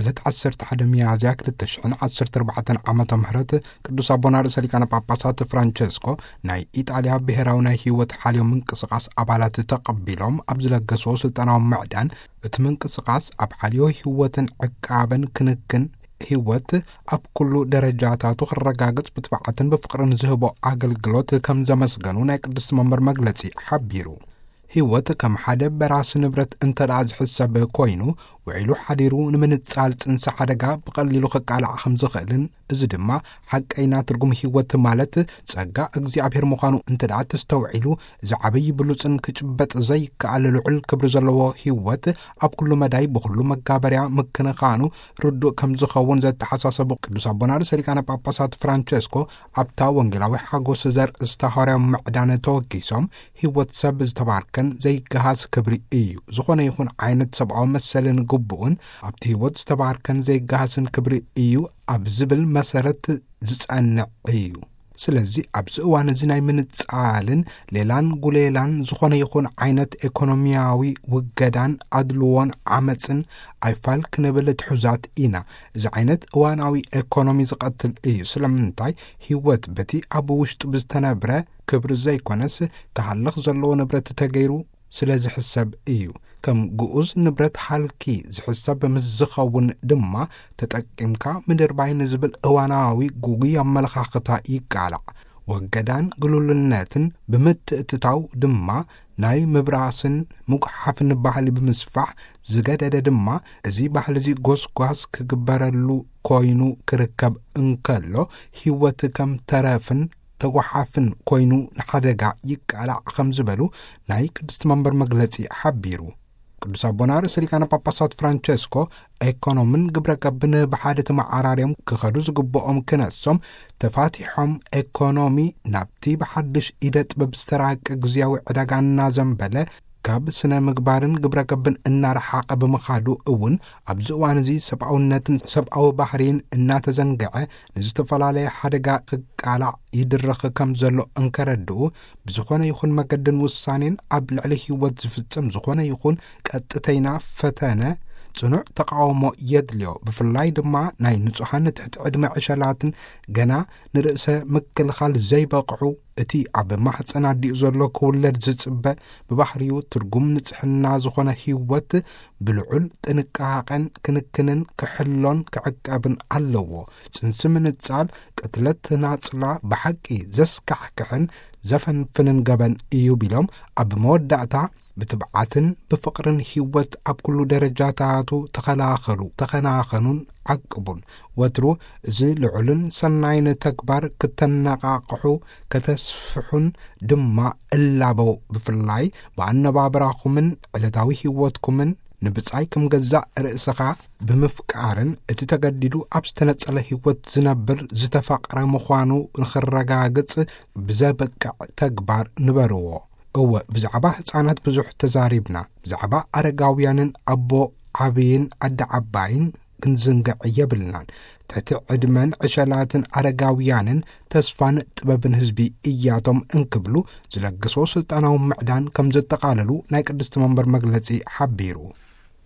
ዕለት ዓሰርተ ሓደ ሚያዝያ ክልተ ሽሕን ዓሰርተ ኣርባዕተን ዓመተ ምህረት ቅዱስ ኣቦና ርእሰ ሊቃነ ጳጳሳት ፍራንቸስኮ ናይ ኢጣልያ ብሔራዊ ናይ ህይወት ሓልዮ ምንቅስቓስ ኣባላት ተቐቢሎም ኣብ ዝለገስዎ ስልጣናዊ ምዕዳን፣ እቲ ምንቅስቓስ ኣብ ሓልዮ ህይወትን ዕቃበን ክንክን ህይወት ኣብ ኩሉ ደረጃታቱ ክረጋገጽ ብትብዓትን ብፍቕርን ዝህቦ ኣገልግሎት ከም ዘመስገኑ ናይ ቅድስቲ መንበር መግለጺ ሓቢሩ። ህይወት ከም ሓደ በራሲ ንብረት እንተ ደኣ ዝሕሰብ ኮይኑ፣ ውዒሉ ሓዲሩ ንምንጻል ጽንሲ ሓደጋ ብቐሊሉ ክቃላዕ ከም ዝኽእልን፣ እዚ ድማ ሓቀይና ትርጉም ህይወት ማለት ጸጋ እግዚኣብሔር ምዃኑ እንተ ደኣ ተስተውዒሉ፣ እዚ ዓብዪ ብሉጽን ክጭበጥ ዘይከኣል ልዑል ክብሪ ዘለዎ ህይወት ኣብ ኩሉ መዳይ ብኹሉ መጋበርያ ምክንኻኑ ርዱእ ከም ዝኸውን ዘተሓሳሰቡ ቅዱስ ኣቦና ርእሰ ሊቃነ ጳጳሳት ፍራንቸስኮ፣ ኣብታ ወንጌላዊ ሓጎስ ዘርእስታ ሃዋርያዊ ምዕዳን ተወኪሶም፣ ህይወት ሰብ ዝተባርከን ዘይገሃስ ክብሪ እዩ። ዝኾነ ይኹን ዓይነት ሰብኣዊ መሰልን ግቡእን ኣብቲ ህይወት ዝተባርከን ዘይገሃስን ክብሪ እዩ ኣብ ዝብል መሰረት ዝጸንዕ እዩ። ስለዚ ኣብዚ እዋን እዚ ናይ ምንጻልን ሌላን ጉሌላን፣ ዝኾነ ይኹን ዓይነት ኤኮኖሚያዊ ውገዳን ኣድልዎን ዓመጽን ኣይፋል ክንብል ትሑዛት ኢና። እዚ ዓይነት እዋናዊ ኤኮኖሚ ዝቐትል እዩ። ስለምንታይ? ህይወት በቲ ኣብ ውሽጡ ብዝተነብረ ክብሪ ዘይኮነስ፣ ክሃልኽ ዘለዎ ንብረት ተገይሩ ስለ ዝሕሰብ እዩ። ከም ግኡዝ ንብረት ሃልኪ ዝሕሰብ ምስ ዝኸውን ድማ፣ ተጠቂምካ ምድርባይ ንዝብል እዋናዊ ጉጉይ ኣመለኻኽታ ይቃላዕ። ወገዳን ግሉልነትን ብምትእትታው ድማ፣ ናይ ምብራስን ምጉሓፍን ባህሊ ብምስፋሕ ዝገደደ ድማ፣ እዚ ባህሊ እዚ ጎስጓስ ክግበረሉ ኮይኑ ክርከብ እንከሎ፣ ህይወት ከም ተረፍን ተጓሓፍን ኮይኑ ንሓደጋ ይቃላዕ ከም ዝበሉ ናይ ቅድስቲ መንበር መግለጺ ሓቢሩ። ቅዱስ ኣቦና ርእሰ ሊቃነ ጳጳሳት ፍራንቸስኮ፣ ኤኮኖምን ግብረ ገብን ብሓደ ተመዓራርዮም ክኸዱ ዝግብኦም ክነሶም፣ ተፋቲሖም ኤኮኖሚ ናብቲ ብሓድሽ ኢደ ጥበብ ዝተራቀ ግዝያዊ ዕዳጋ እናዘንበለ፣ ካብ ስነ ምግባርን ግብረ ገብን እናረሓቐ ብምኻዱ እውን፣ ኣብዚ እዋን እዚ ሰብኣውነትን ሰብኣዊ ባህርይን እናተዘንግዐ፣ ንዝተፈላለየ ሓደጋ ክቃላዕ ይድረኽ ከም ዘሎ እንከረድኡ፣ ብዝኾነ ይኹን መገድን ውሳኔን ኣብ ልዕሊ ህይወት ዝፍጸም ዝኾነ ይኹን ቀጥተይና ፈተነ፣ ጽኑዕ ተቃውሞ የድልዮ። ብፍላይ ድማ ናይ ንጹሃን ትሕቲ ዕድመ ዕሸላትን ገና ንርእሰ ምክልኻል ዘይበቕዑ፣ እቲ ኣብ ማህጸን ኣዲኡ ዘሎ ክውለድ ዝጽበ፣ ብባህሪኡ ትርጉም ንጽሕና ዝኾነ ህይወት ብልዑል ጥንቃቐን ክንክንን ክሕሎን ክዕቀብን ኣለዎ። ጽንሲ ምንጻል፣ ቅትለት ናጽላ ብሓቂ ዘስካሕክሕን ዘፈንፍንን ገበን እዩ ቢሎም፣ ኣብ መወዳእታ ብትብዓትን ብፍቕርን ህይወት ኣብ ኩሉ ደረጃታቱ ተኸላኸሉ፣ ተኸናኸኑን ዓቅቡን። ወትሩ እዚ ልዑልን ሰናይን ተግባር ክተነቓቕሑ፣ ከተስፍሑን ድማ እላበው። ብፍላይ ብኣነባብራኹምን ዕለታዊ ህይወትኩምን ንብጻይ ከም ገዛእ ርእስኻ ብምፍቃርን እቲ ተገዲዱ ኣብ ዝተነጸለ ህይወት ዝነብር ዝተፈቕረ ምዃኑ ንኽረጋግጽ ብዘብቅዕ ተግባር ንበርዎ። እወ፣ ብዛዕባ ህጻናት ብዙሕ ተዛሪብና፣ ብዛዕባ ኣረጋውያንን ኣቦ ዓብይን ኣደ ዓባይን ክንዝንግዕ የብልናን። ትሕቲ ዕድመን ዕሸላትን ኣረጋውያንን ተስፋን ጥበብን ህዝቢ እያቶም እንክብሉ ዝለገሶ ስልጣናዊ ምዕዳን ከም ዘጠቓለሉ ናይ ቅድስቲ መንበር መግለጺ ሓቢሩ።